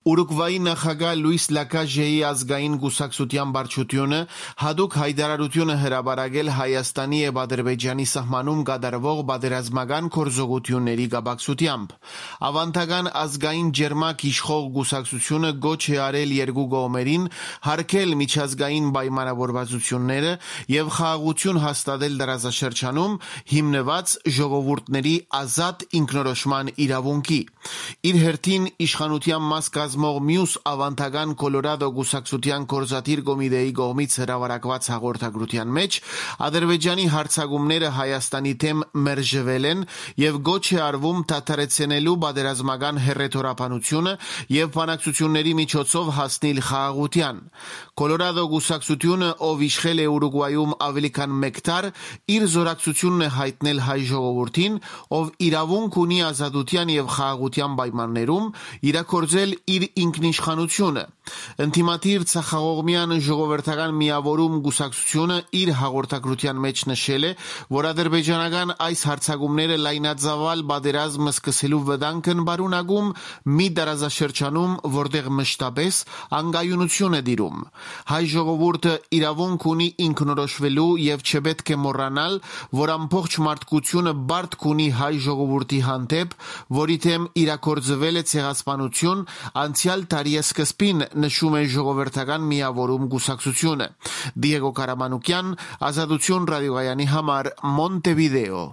Ուրուգվայի նախագահ Լուիս Լակաժեի ազգային կուսակցության վարչությունը հատուկ հայտարարություն է հրապարակել Հայաստանի եւ Ադրբեջանի սահմանում կատարվող պատերազմական գործողությունների կապակցությամբ։ Ավանդական ազգային ջերմակ իշխող կուսակցությունը գոչ է արել երկու կողմերին հարգել միջազգային պայմանավորվածությունները եւ խաղաղություն հաստատել տարածաշրջանում հիմնված ժողովուրդների ազատ ինքնորոշման իրավունքի։ Իր հերթին իշխանության մաս կազմող մյուս ավանդական Կոլորադո կուսակցության գործադիր կոմիտեի կողմից հրապարակված հաղորդագրության մեջ Ադրբեջանի հարձակումները Հայաստանի դեմ մերժվել են եւ գոչ է արվում դադարեցնելու պատերազմական հռետորաբանությունը եւ բանակցությունների միջոցով հասնել խաղաղության։ Կոլորադո կուսակցությունը, ով իշխել է Ուրուգվայում ավելի քան մեկ դար, իր զորակցությունն է հայտնել հայ ժողովրդին, ով իրավունք ունի ազատության եւ խաղաղության պայմաններում իրագործել իր ինքնիշխանությունը։ Ընդդիմադիր ցախաղողմյան ժողովրդական միավորում կուսակցությունը իր հաղորդագրության մեջ նշել է, որ ադրբեջանական այս հարձակումները լայնածավալ պատերազմ սկսելու վտանգն պարունակում մի տարածաշրջանում, որտեղ մշտապես անկայունություն է տիրում։ Հայ ժողովուրդը իրավունք ունի ինքնորոշվելու եւ չպետք է մոռանալ, որ ամբողջ մարդկությունը բարդ ունի հայ ժողովրդի հանդեպ, որի դեմ իրագործվել է ցեղասպանություն անցյալ տարի սկզբին, նշում է ժողովրդական միավորում կուսակցությունը։ Դիեգո Կարամանուկյան, Ազատություն ռադիոկայանի համար, Մոնտեվիդեո։